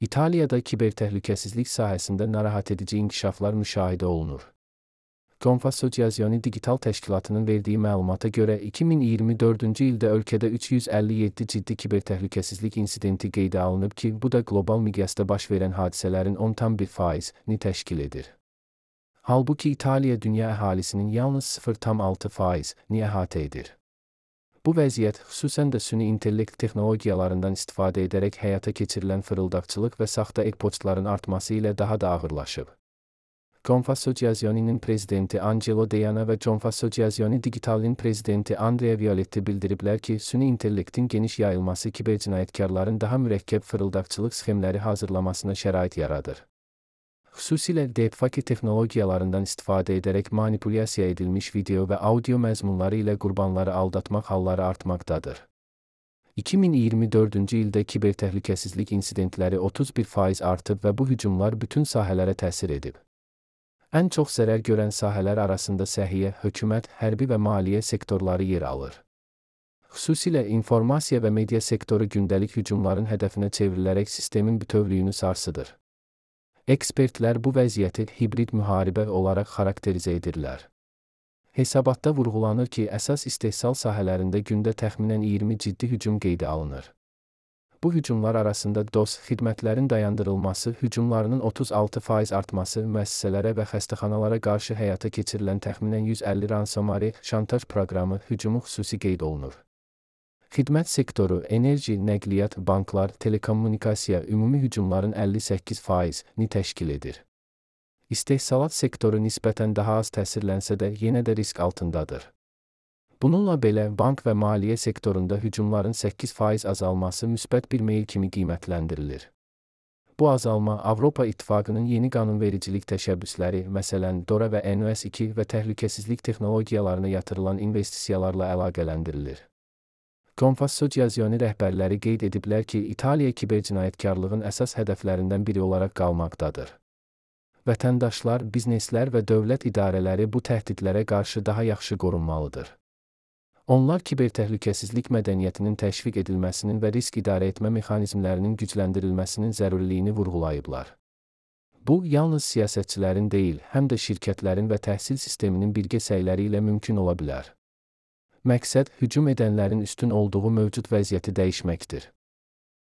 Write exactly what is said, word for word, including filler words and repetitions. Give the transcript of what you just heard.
İtaliyada kibertəhlükəsizlik sahəsində narahat edici inkişaflar müşahidə olunur. Confassogiazione Digital Təşkilatının verdiyi məlumata görə iki min iyirmi dördüncü ildə ölkədə üç yüz əlli yeddi ciddi kibertəhlükəsizlik insidenti qeydə alınıb ki, bu da qlobal miqyasda baş verən hadisələrin on tam bir faizini təşkil edir. Halbuki İtaliya dünya əhalisinin yalnız sıfır tam altı faizini əhatə edir. Bu vəziyyət xüsusən də süni intellekt texnologiyalarından istifadə edərək həyata keçirilən fırıldaqçılıq və saxta e-postların artması ilə daha da ağırlaşıb. Confassogiazione'nin prezidenti Angelo Deiana və Confassogiazione Digital'in prezidenti Andrea Violetti bildiriblər ki, süni intellektin geniş yayılması kibercinayətkarların daha mürəkkəb fırıldaqçılıq sxemləri hazırlamasına şərait yaradır. Xüsusilə deepfake texnologiyalarından istifadə edərək manipulyasiya edilmiş video və audio məzmunları ilə qurbanları aldatmaq halları artmaqdadır. iki min iyirmi dördüncü ildə kibertəhlükəsizlik insidentləri otuz bir faiz artıb və bu hücumlar bütün sahələrə təsir edib. Ən çox zərər görən sahələr arasında səhiyyə, hökumət, hərbi və maliyyə sektorları yer alır. Xüsusilə informasiya və media sektoru gündəlik hücumların hədəfinə çevrilərək sistemin bütövlüyünü sarsıdır. Ekspertlər bu vəziyyəti hibrid müharibə olaraq xarakterizə edirlər. Hesabatda vurğulanır ki, əsas istehsal sahələrində gündə təxminən iyirmi ciddi hücum qeydə alınır. Bu hücumlar arasında DOS xidmətlərin dayandırılması, hücumlarının otuz altı faiz artması, müəssisələrə və xəstəxanalara qarşı həyata keçirilən təxminən yüz əlli ransomware şantaj proqramı hücumu xüsusi qeyd olunur. Xidmət sektoru, enerji, nəqliyyat, banklar, telekommunikasiya ümumi hücumların əlli səkkiz faizini təşkil edir. İstehsalat sektoru nisbətən daha az təsirlənsə də yenə də risk altındadır. Bununla belə, bank və maliyyə sektorunda hücumların səkkiz faiz azalması müsbət bir meyil kimi qiymətləndirilir. Bu azalma Avropa İttifaqının yeni qanunvericilik təşəbbüsləri, məsələn, DORA və N O S iki və təhlükəsizlik texnologiyalarına yatırılan investisiyalarla əlaqələndirilir. Confassogiazione rəhbərləri qeyd ediblər ki, İtaliya kibercinayətkarlığın əsas hədəflərindən biri olaraq qalmaqdadır. Vətəndaşlar, bizneslər və dövlət idarələri bu təhdidlərə qarşı daha yaxşı qorunmalıdır. Onlar kibertəhlükəsizlik mədəniyyətinin təşviq edilməsinin və risk idarə etmə mexanizmlərinin gücləndirilməsinin zərurliyini vurğulayıblar. Bu, yalnız siyasətçilərin deyil, həm də şirkətlərin və təhsil sisteminin birgə səyləri ilə mümkün ola bilər. Məqsəd, hücum edənlərin üstün olduğu mövcud vəziyyəti dəyişməkdir.